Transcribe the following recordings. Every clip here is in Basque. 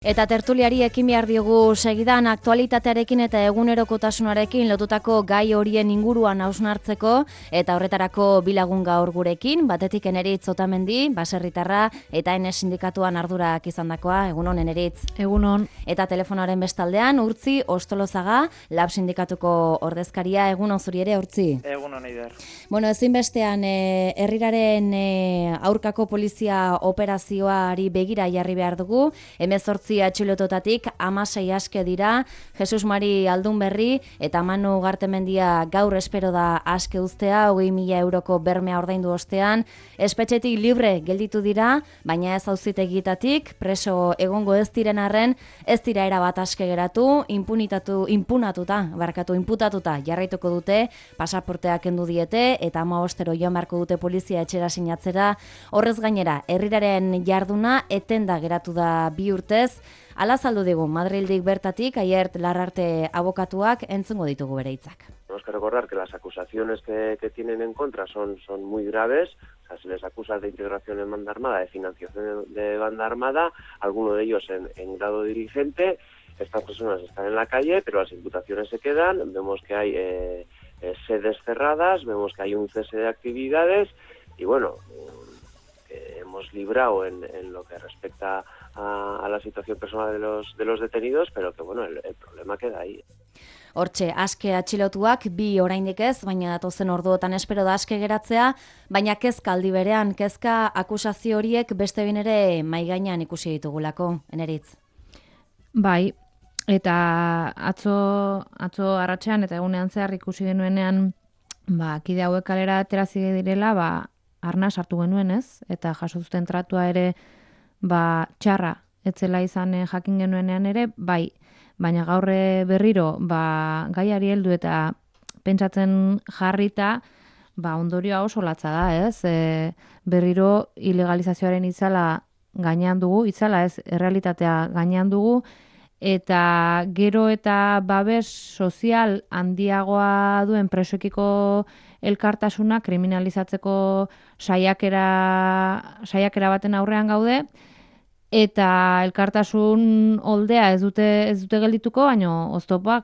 Eta tertuliari ekin behar diogu segidan aktualitatearekin eta egunerokotasunarekin lotutako gai horien inguruan hausnartzeko eta horretarako bilagun gaur gurekin, batetik Eneritz Otamendi, baserritarra eta Enes sindikatuan ardurak izandakoa. Egunon, Eneritz. Egunon. Eta telefonoaren bestaldean Urtzi Ostolozaga, Lab sindikatuko ordezkaria. Egunon zuri ere, Urtzi. Egunon, Eider. Bueno, ezinbestean herriraren aurkako polizia operazioari begira jarri behar dugu. 18 atxilototatik 16 aske dira, Jesus Mari Aldunberri eta Manu Gartemendia gaur espero da aske uztea, 20.000 euroko bermea ordaindu ostean, espetxetik libre gelditu dira, baina ez auzitegietatik, preso egongo ez diren arren, ez dira erabat aske geratu, inputatuta jarraituko dute, pasaporteak kendu diete eta 15 joan beharko dute polizia etxera sinatzera. Horrez gainera, herriraren jarduna etenda geratu da 2 urtez. Hala azaldu digu Madrildik bertatik, Aiert Larrarte abokatuak, entzungo ditugu bere hitzak. Tenemos que recordar que las acusaciones que tienen en contra son muy graves. O sea, se les acusa de integración en banda armada, de financiación de banda armada, alguno de ellos en grado dirigente. Estas personas están en la calle, pero las imputaciones se quedan. Vemos que hay sedes cerradas, vemos que hay un cese de actividades y bueno, hemos librado en lo que respecta a la situación personal de los detenidos, pero que bueno, el problema queda ahí. Hortxe, aske atxilotuak, 2 oraindik ez, baina datozen orduotan espero da aske geratzea, baina kezka aldi berean, kezka akusazio horiek beste behin ere mahai gainean ikusi ditugulako, Eneritz. Bai, eta atzo arratsean eta egunean zehar ikusi genuenean, kide hauek kalera aterazi direla, arna sartu genuen ez, eta jaso zuten tratua ere, txarra etzela izan jakin genuenean ere, bai, baina gaur berriro gaiari heldu eta pentsatzen jarrita, ondorioa oso latza da, ez? Berriro ilegalizazioaren itzala gainean dugu, itzala ez, errealitatea gainean dugu, eta gero eta babes sozial handiagoa duen presoekiko elkartasuna kriminalizatzeko saiakera baten aurrean gaude, eta elkartasun oldea ez dute geldituko, baina oztopa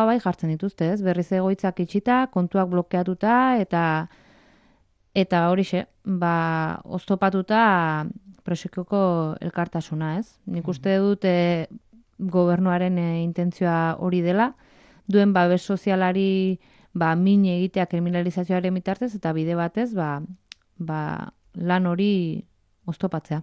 bai jartzen dituzte, ez? Berriz egoitzak itxita, kontuak blokeatuta, eta horixe, oztopatuta presoekiko elkartasuna, ez? Nik uste dut gobernuaren intentzioa hori dela, duen babes sozialari min egitea kriminalizazioaren bitartez, eta bide batez lan hori oztopatzea.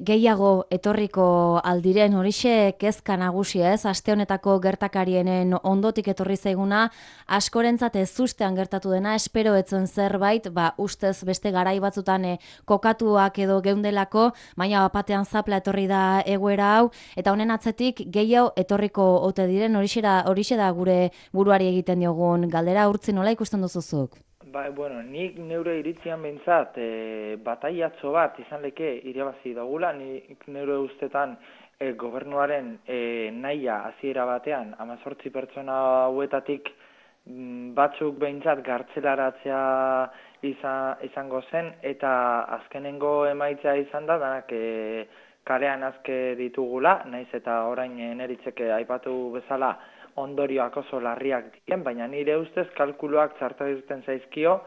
Gehiago etorriko aldiren horixe kezka nagusia ez, aste honetako gertakarienen ondotik etorri zaiguna, askorentzat ezustean gertatu dena, espero etzen zerbait, ustez beste garai batzutan kokatuak edo geundelako, baina batean zapla etorri da egoera hau, eta honen atzetik gehiago etorriko ote diren, horixe da gure buruari egiten diogun galdera. Urtzi, nola ikusten duzuzuk? Bueno, nik neure iritzian behintzat bataiatxo bat izan leke irabazi dagula, nik neure ustetan gobernuaren nahia hasiera batean 18 pertsona hauetatik batzuk behintzat gartzelaratzea izango zen, eta azkenengo emaitza izan da, danak kalean aske ditugula, naiz eta orain Eneritzeke aipatu bezala ondorioak oso larriak diren, baina nire ustez kalkuluak txarto duten zaizkio,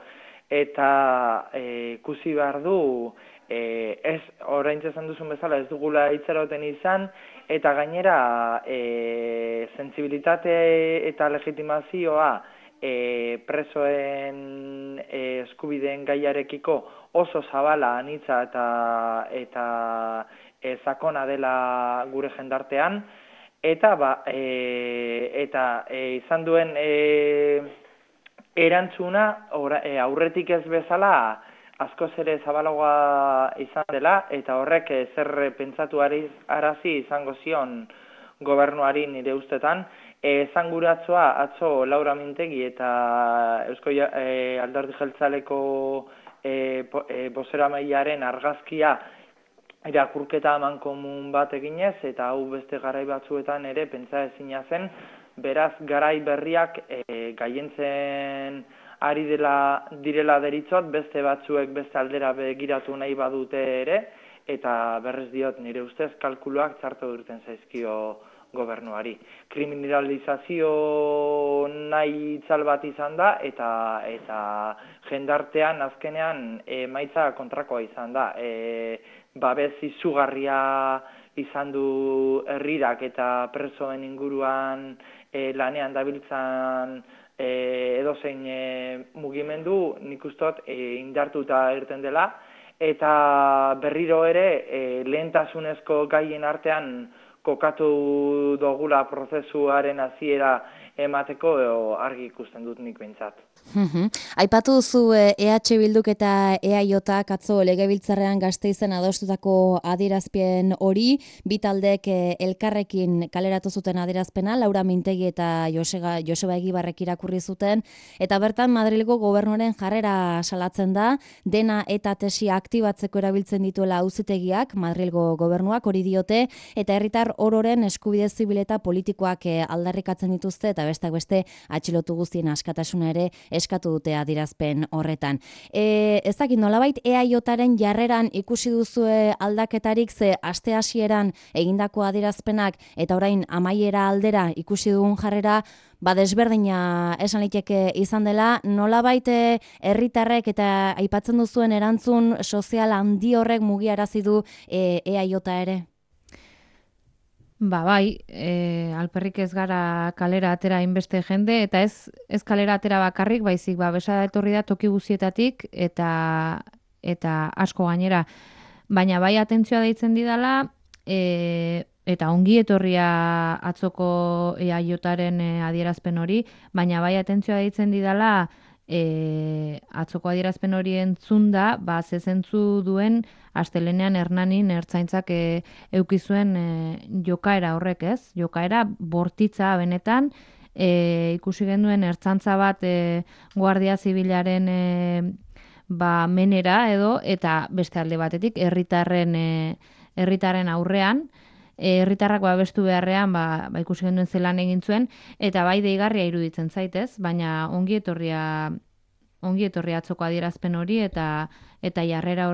eta ikusi behar du, ez orain esan duzun bezala ez dugula itxaroten izan, eta gainera sentsibilitate eta legitimazioa presoen eskubideen gaiarekiko oso zabala, anitza eta sakona dela gure jendartean, eta izan duen erantzuna aurretik ez bezala askoz ere zabalagoa izan dela, eta horrek zer pentsatu arazi izango zion gobernuari nire ustetan. Esanguratzoa atzo Laura Mintegi eta Eusko Alderdi Jeltzaleko bozeramailearen argazkia irakurketa amankomun bat eginez, eta hau beste garai batzuetan ere pentsa ezina zen, beraz garai berriak gaientzen ari direla deritzot, beste batzuek beste aldera begiratu nahi badute ere, eta berrez diot nire ustez kalkuluak txarto urten zaizkio gobernuari. Kriminalizazio nahi itzal bat izan da eta jendartean azkenean emaitza kontrakoa izan da. Babes izugarria izan du herrirak eta presoen inguruan lanean dabiltzan edozein mugimendu nik ustot indartuta irten dela eta berriro ere lehentasunezko gaien artean kokatu dogula prozesuaren hasiera emateko argi ikusten dut nik behintzat. Aipatu duzu EH Bilduk eta EAJak atzo legebiltzarrean Gasteizen adostutako adierazpen hori, bi taldek elkarrekin kaleratu zuten adierazpena, Laura Mintegi eta Joseba Egibarrek irakurri zuten, eta bertan Madrilgo gobernuaren jarrera salatzen da, dena eta tesia aktibatzeko erabiltzen dituela auzitegiak, Madrilgo gobernuak hori diote, eta herritar ororen eskubide zibil eta politikoak aldarrikatzen dituzte, eta besteak beste atxilotu guztien askatasuna ere eskatu dute adierazpen horretan. Ez dakit nolabait EAJaren jarreran ikusi duzue aldaketarik, ze aste hasieran egindako adierazpenak eta orain amaiera aldera ikusi dugun jarrera desberdina esan liteke izan dela, nolabait herritarrek eta aipatzen duzuen erantzun sozial handi horrek mugiarazi du EAJ ere? Bai, alperrik ez gara kalera atera inbeste jende, eta ez kalera atera bakarrik, baizik, besada etorri da toki guztietatik, eta asko gainera. Baina bai atentzioa deitzen didala, eta ongi etorria atzoko EAJaren adierazpen hori, baina bai atentzioa deitzen didala, atzoko adierazpen hori entzunda, zezentzu duen astelenean Hernanin ertzaintzak eukizuen jokaera horrek, ez? Jokaera bortitza benetan, ikusi genuen ertzantza bat Guardia Zibilaren menera edo, eta beste alde batetik herritarren aurrean, herritarrak babestu beharrean ikusi genuen zelan egin zuen, eta bai deigarria iruditzen zaitez, baina ongi etorria atzoko adierazpen hori eta jarrera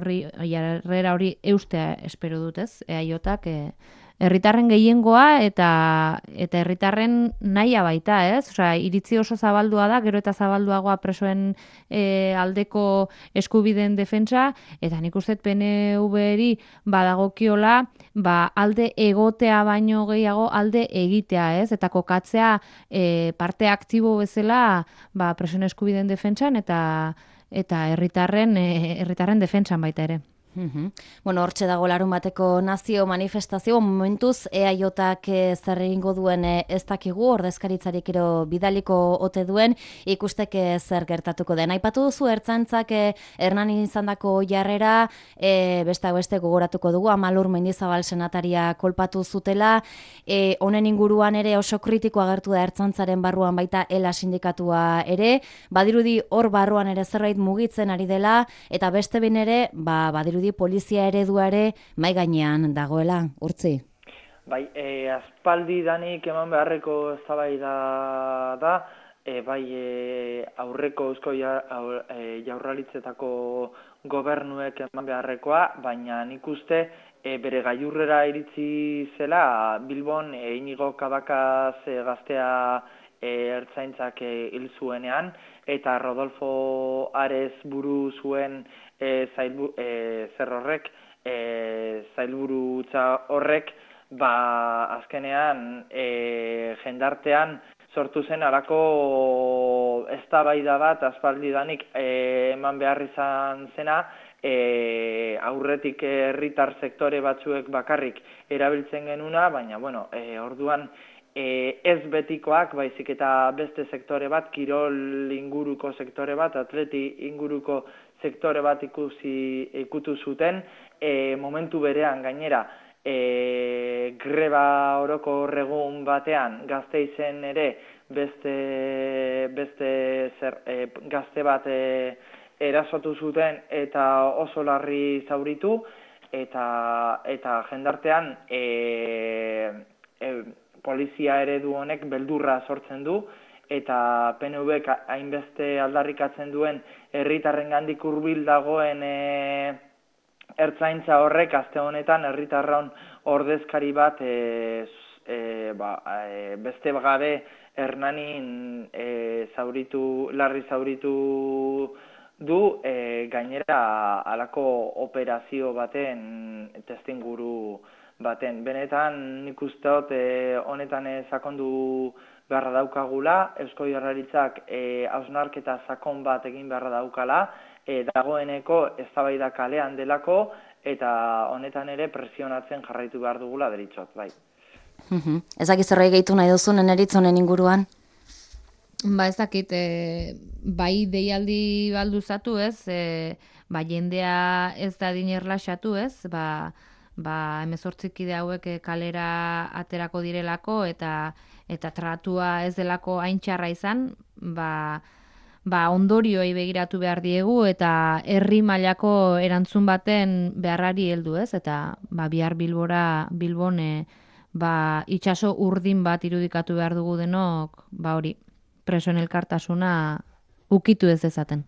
hori eustea espero dut, ez? EAJak herritarren gehiengoa eta herritarren nahia baita, ez? Osea, iritzi oso zabaldua da, gero eta zabalduagoa presoen aldeko eskubideen defentsa, eta nik uste PNV-eri badagokiola alde egotea baino gehiago alde egitea, ez? Eta kokatzea parte aktibo bezala presoen eskubideen defentsan eta herritarren defentsan baita ere. Bueno, hortxe dago larun bateko nazio manifestazio, momentuz EAJak zer egingo duen ez dakigu, ordezkaritzarik ero bidaliko ote duen, ikusteke zer gertatuko den. Aipatu duzu ertzaintzak Hernanin izandako jarrera, beste gogoratuko dugu, Amalur Mendizabal senataria kolpatu zutela, honen inguruan ere oso kritiko agertu da ertzaintzaren barruan baita ELA sindikatua ere, badirudi hor barruan ere zerbait mugitzen ari dela, eta beste behin ere, badirudi polizia ereduare mai gainean dagoela, Urtzi. Bai, aspaldi danik eman beharreko eztabaida da, aurreko eusko jaurlaritzetako gobernuek eman beharrekoa, baina nik uste bere gailurrera iritsi zela Bilbon Inigo Cabacas gaztea ertzaintzak hil zuenean, eta Rodolfo Ares buru zuen zailburutza horrek, azkenean jendartean sortu zen alako eztabaida bat aspaldidanik eman behar izan zena, aurretik herritar sektore batzuek bakarrik erabiltzen genuna, baina orduan ez betikoak, baizik eta beste sektore bat, kirol inguruko sektore bat, atleti inguruko sektore bat ikutu zuten, momentu berean gainera, greba oroko horregun batean Gasteizen ere gazte bat erasotu zuten eta oso larri zauritu, eta jendartean polizia eredu honek beldurra sortzen du, eta PNVk hainbeste aldarrikatzen duen herritarrengandik hurbil dagoen ertzaintza horrek aste honetan herritarron ordezkari bat beste gabe Hernanin larri zauritu du, gainera halako operazio baten testinguru baten. Benetan nik uste dut honetan sakondu beharra daukagula, Eusko Jaurlaritzak hausnarketa sakon bat egin beharra daukala, dagoeneko eztabaida kalean delako, eta honetan ere presionatzen jarraitu behar dugula deritzot, bai. Ezakit zerbait gehitu nahi duzun Eneritz honen inguruan? Ba, ez dakit, bai deialdi balduzatu ez, jendea ez da dinerlaxatu ez, 18 kide hauek kalera aterako direlako eta tratua ez delako hain txarra izan, ondorioei begiratu behar diegu eta herri mailako erantzun baten beharrari heldu ez, eta bihar Bilbon itxaso urdin bat irudikatu behar dugu denok, hori, presoen elkartasuna ukitu ez dezaten.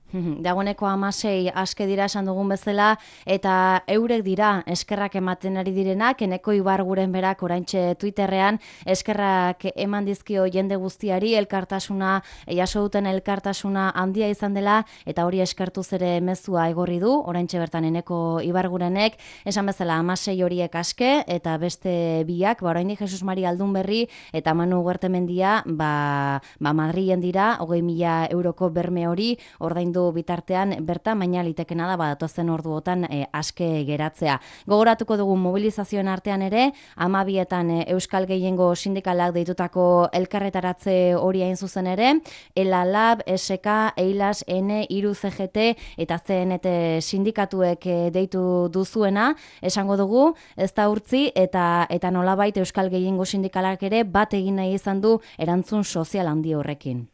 Dagoeneko 16 aske dira esan dugun bezala, eta eurek dira eskerrak ematen ari direnak, Eneko Ibarguren berak oraintxe Twitterrean eskerrak eman dizkio jende guztiari, elkartasuna, jaso duten elkartasuna handia izan dela, eta hori eskertuz ere mezua egorri du, oraintxe bertan Eneko Ibargurenek, esan bezala 16 horiek aske, eta beste biak, oraindik Jesus Mari Aldunberri eta Manu Huertemendia, Madrilen dira, 20.000 euroko berme hori ordaindu bitartean bertan, baina litekena da datozen orduotan aske geratzea. Gogoratuko dugu mobilizazioen artean ere, 12etan Euskal Gehiengo sindikalak deitutako elkarretaratze hori hain zuzen ere, ELA Lab, SK, EILAS, N, IRU CGT eta CNT sindikatuek deitu duzuena, esango dugu, ez da urtzi eta nolabait Euskal Gehiengo sindikalak ere bat egin nahi izan du erantzun sozial handi horrekin.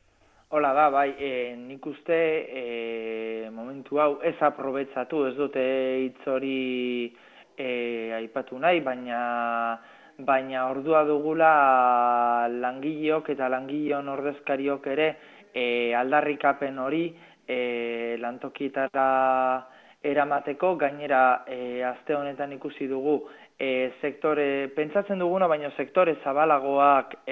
Hola da, bai, nik uste momentu hau ez aprobetsatu, ez dute hitz hori aipatu nahi, baina ordua dugula langileok eta langileon ordezkariok ere aldarrikapen hori lantokietara eramateko, gainera aste honetan ikusi dugu pentsatzen duguna, baina sektore zabalagoak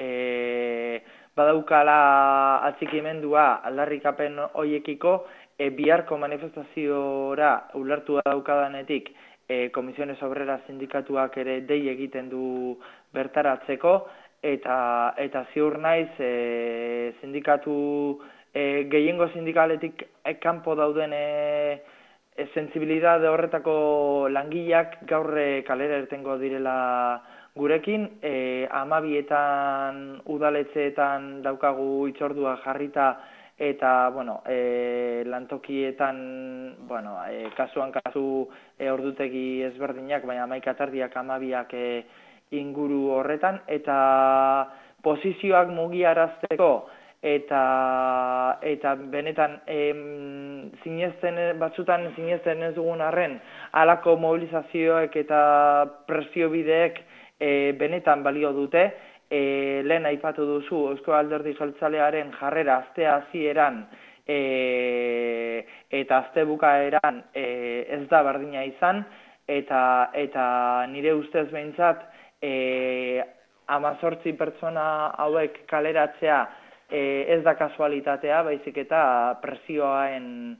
badaukala atxikimendua aldarrikapen hoiekiko, biharko manifestaziora ulertu daukadanetik Komisiones Obreras sindikatuak ere dei egiten du bertaratzeko, eta ziur naiz sindikatu gehiengo sindikaletik kanpo dauden sensibilidade horretako langileak gaur kalera irtengo direla gurekin. 12etan udaletxeetan daukagu hitzordua jarrita, eta lantokietan kasuan kasu ordutegi ezberdinak, baina 11:30, 12 inguru horretan, eta posizioak mugiarazteko eta benetan batzutan sinesten ez dugun arren, halako mobilizazioek eta presio bideek benetan balio dute. Lehen aipatu duzu Eusko Alderdi Jeltzalearen jarrera astea hasieran eta aste bukaeran ez da berdina izan, eta nire ustez behintzat 18 pertsona hauek kaleratzea ez da kasualitatea, baizik eta presioaen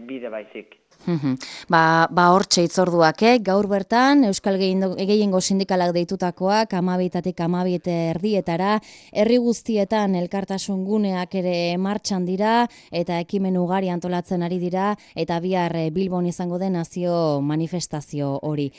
bide baizik. Hortxe hitzorduak, gaur bertan Euskal Gehiengo sindikalak deitutakoak 12:00 12:30 herri guztietan elkartasun guneak ere martxan dira eta ekimen ugari antolatzen ari dira, eta bihar Bilbon izango den nazio manifestazio hori.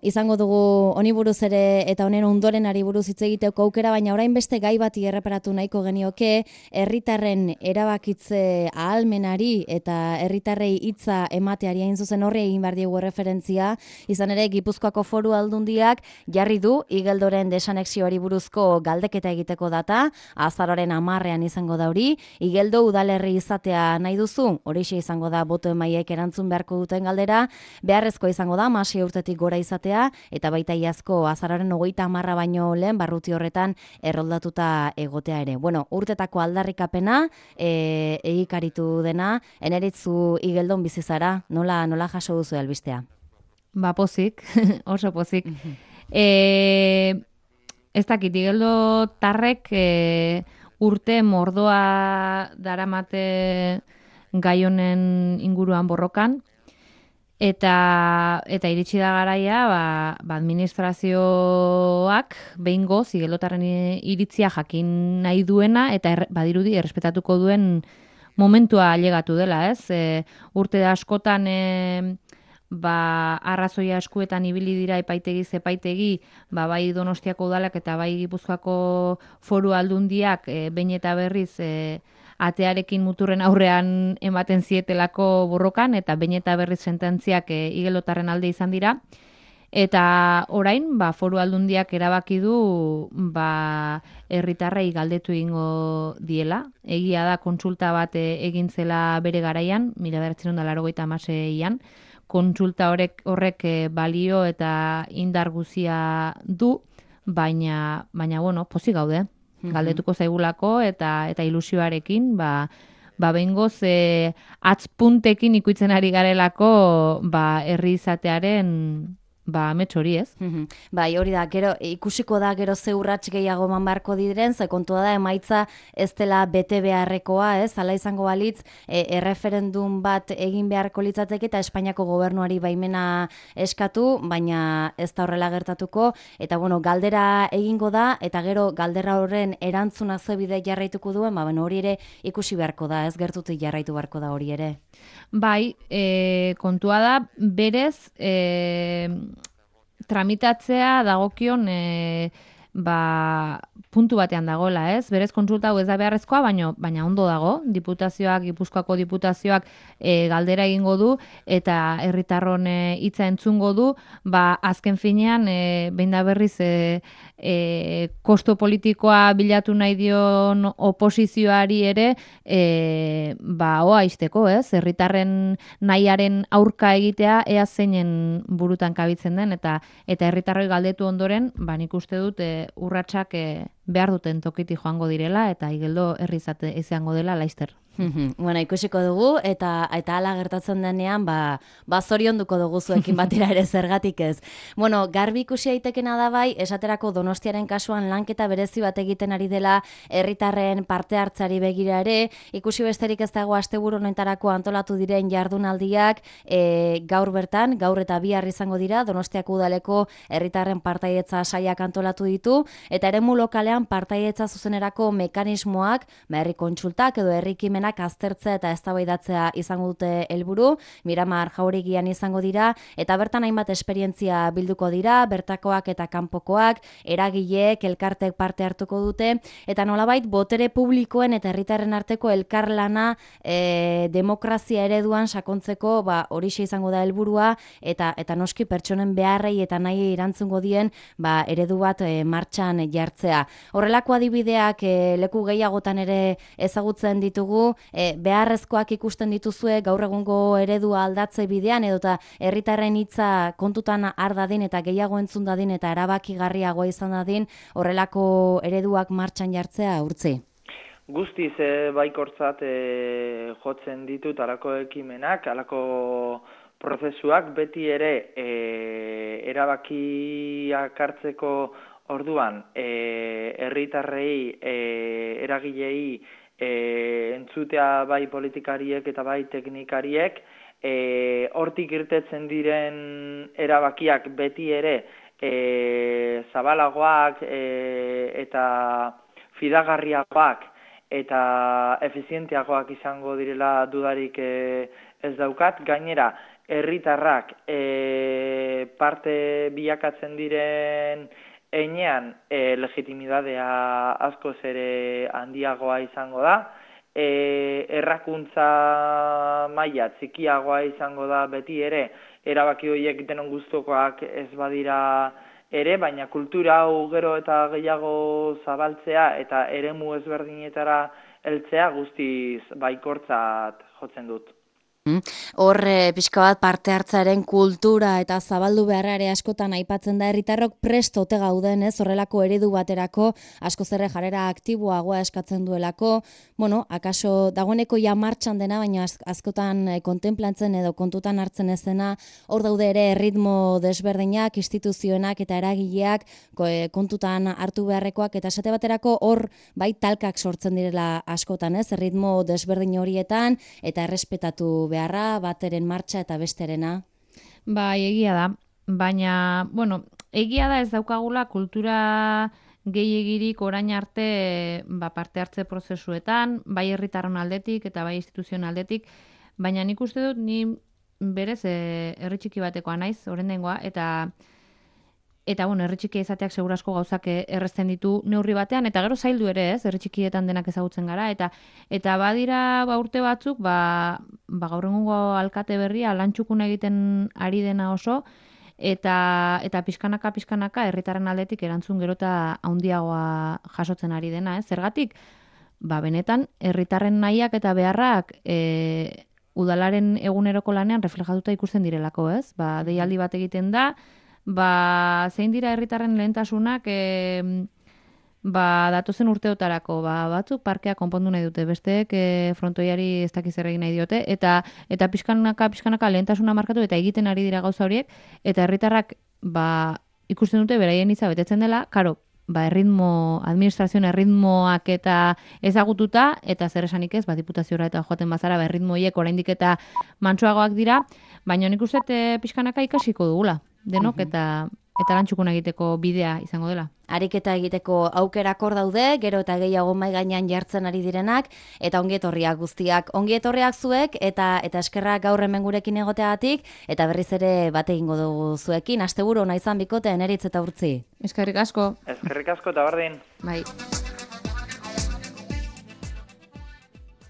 Izango dugu honi buruz ere eta honen ondorenari buruz hitz egiteko aukera, baina orain beste gai bati erreparatu nahiko genioke, herritarren erabakitze ahalmenari eta herritarrei hitza emateari hain zuzen horri egin behar diegu referentzia, izan ere Gipuzkoako Foru Aldundiak jarri du Igeldoren desanexioari buruzko galdeketa egiteko data, azaroaren 10ean izango da hori. Igeldo udalerri izatea nahi duzu, horixe izango da boto emaiek erantzun beharko duten galdera, beharrezko izango da 16 urtetik gora izatea, eta baita iazko azaroaren 30 baino lehen barruti horretan erroldatuta egotea ere. Urtetako aldarrikapena egikaritu dena, Eneritzu Igeldon bizi zara, nola jaso duzu albistea? Ba, pozik, oso pozik. Ez dakit, Igeldo tarrek urte mordoa daramate gai honen inguruan borrokan, eta iritsi da garaia, administrazioak behingoz Igeldotarren iritzia jakin nahi duena, eta badirudi errespetatuko duen momentua ailegatu dela, ez? Urte askotan arrazoia eskuetan ibili dira epaitegi, bai Donostiako udalak eta bai Gipuzkoako Foru Aldundiak behin eta berriz atearekin muturren aurrean ematen zietelako borrokan, eta behin eta berriz sententziak Igeldotarren alde izan dira. Eta orain, Foru Aldundiak erabaki du herritarrei galdetu egingo diela. Egia da kontsulta bat egin zela bere garaian, 1986an, kontsulta horrek balio eta indar guzia du, baina bueno, pozik gaude. Galdetuko zaigulako eta ilusioarekin, behingoz atzpuntekin ikuitzen ari garelako herri izatearen amets hori, ez? Bai, hori da, gero ikusiko da gero ze urrats gehiago eman beharko diren, ze kontua da emaitza ez dela bete beharrekoa, ez? Hala izango balitz, erreferendum bat egin beharko litzateke eta Espainiako gobernuari baimena eskatu, baina ez da horrela gertatuko, eta bueno, galdera egingo da, eta gero galdera horren erantzuna ze bide jarraituko duen, hori ere ikusi beharko da, ez gertutik jarraitu beharko da hori ere. Bai, kontua da, berez, tramitatzea dagokion puntu batean dagoela, ez? Berez kontsulta hau ez da beharrezkoa, baina ondo dago. Diputazioak, Gipuzkoako diputazioak galdera egingo du eta herritarron hitza entzungo du, azken finean behin da berriz kosto politikoa bilatu nahi dion oposizioari ere oa izteko, ez? Herritarren nahiaren aurka egitea ea zeinen burutan kabitzen den, eta herritarroi galdetu ondoren, nik uste dut urratsak behar duten tokitik joango direla, eta Igeldo herri izango dela laizter. Bueno, ikusiko dugu, eta hala gertatzen denean, zorionduko dugu zuekin batera ere zergatik ez. Bueno, garbi ikusi aitekena da bai, esaterako Donostiaren kasuan lanketa berezi bat egiten ari dela herritarren parte hartzari begira ere, ikusi besterik ez dago asteburu honetarako antolatu diren jardunaldiak, gaur bertan, gaur eta bihar izango dira, Donostiako udaleko herritarren partaidetza saiak antolatu ditu, eta eremu lokalean partaidetza zuzenerako mekanismoak, herri kontsultak edo herri ekimenak aztertzea eta eztabaidatzea izango dute helburu, Miramar Jauregian izango dira, eta bertan hainbat esperientzia bilduko dira, bertakoak eta kanpokoak, eragileek, elkartek parte hartuko dute, eta nolabait botere publikoen eta herritarren arteko elkarlana demokrazia ereduan sakontzeko horixe izango da helburua, eta noski pertsonen beharrei eta nahi erantzungo dien eredu bat martxan jartzea. Horrelako adibideak leku gehiagotan ere ezagutzen ditugu, beharrezkoak ikusten dituzue gaur egungo eredua aldatze bidean, edota herritarren hitza kontutan har dadin eta gehiago entzun dadin eta erabakigarriagoa izan dadin horrelako ereduak martxan jartzea urtzi. Guztiz baikortzat jotzen ditut halako ekimenak, halako prozesuak beti ere erabakiak hartzeko orduan herritarrei, eragilei entzutea bai politikariek eta bai teknikariek, hortik irtetzen diren erabakiak beti ere zabalagoak eta fidagarriagoak eta efizienteagoak izango direla dudarik ez daukat. Gainera, herritarrak parte bilakatzen diren heinean legitimidadea askoz ere handiagoa izango da, errakuntza maila txikiagoa izango da beti ere, erabaki horiek denon gustukoak ez badira ere, baina kultura hau gero eta gehiago zabaltzea eta eremu ezberdinetara heltzea guztiz baikortzat jotzen dut. Hor, pixka bat parte hartzaren kultura eta zabaldu beharra ere askotan aipatzen da herritarrok prest ote gauden, ez, horrelako eredu baterako, asko zerre jarrera aktiboagoa eskatzen duelako, bueno, akaso dagoeneko ja martxan dena, baina askotan kontemplantzen edo kontutan hartzen ez dena, hor daude ere ritmo desberdinak, instituzioenak eta eragileak kontutan hartu beharrekoak, eta esate baterako hor bai talkak sortzen direla askotan, ez, ritmo desberdin horietan, eta errespetatu beharra, bateren martxa eta besterena. Bai, egia da. Baina, bueno, egia da ez daukagula kultura gehiegirik orain arte parte hartze prozesuetan, bai herritarron aldetik eta bai instituzioen aldetik, baina nik uste dut ni berez herri txiki batekoa naiz, oraingoa, eta bueno, herri txikia izateak segurazko gauzak errezten ditu neurri batean, eta gero zaildu ere, ez, herri txikietan denak ezagutzen gara, eta badira urte batzuk, gaur egungo alkate berria lantxukun egiten ari dena oso, eta pixkanaka herritarren aldetik erantzun gero eta handiagoa jasotzen ari dena, ez? Zergatik, benetan herritarren nahiak eta beharrak udalaren eguneroko lanean reflejatuta ikusten direlako, ez? Deialdi bat egiten da, zein dira herritarren lehentasunak datozen urteotarako, batzuk parkea konpondu nahi dute, besteek frontoiari ez dakiz zer egin nahi diote, eta pixkanaka lehentasuna markatu eta egiten ari dira gauza horiek, eta herritarrak ikusten dute beraien hitza betetzen dela, karo, administrazioen erritmoak eta ezagututa, eta zer esanik ez, diputaziora eta joaten bazara, erritmo horiek oraindik eta mantsoagoak dira, baina nik uste pixkanaka ikasiko dugula, denok, eta lantxukun egiteko bidea izango dela. Ariketa egiteko aukerak hor daude, gero eta gehiago mahai gainean jartzen ari direnak, eta ongietorriak guztiak. Ongietorriak zuek, eta eskerrak gaur hemen gurekin egoteagatik, eta berriz ere bat egingo dugu zuekin. Asteburu ona izan bikote, Eneritz eta Urtzi. Eskerrik asko. Eskerrik asko eta berdin. Bai.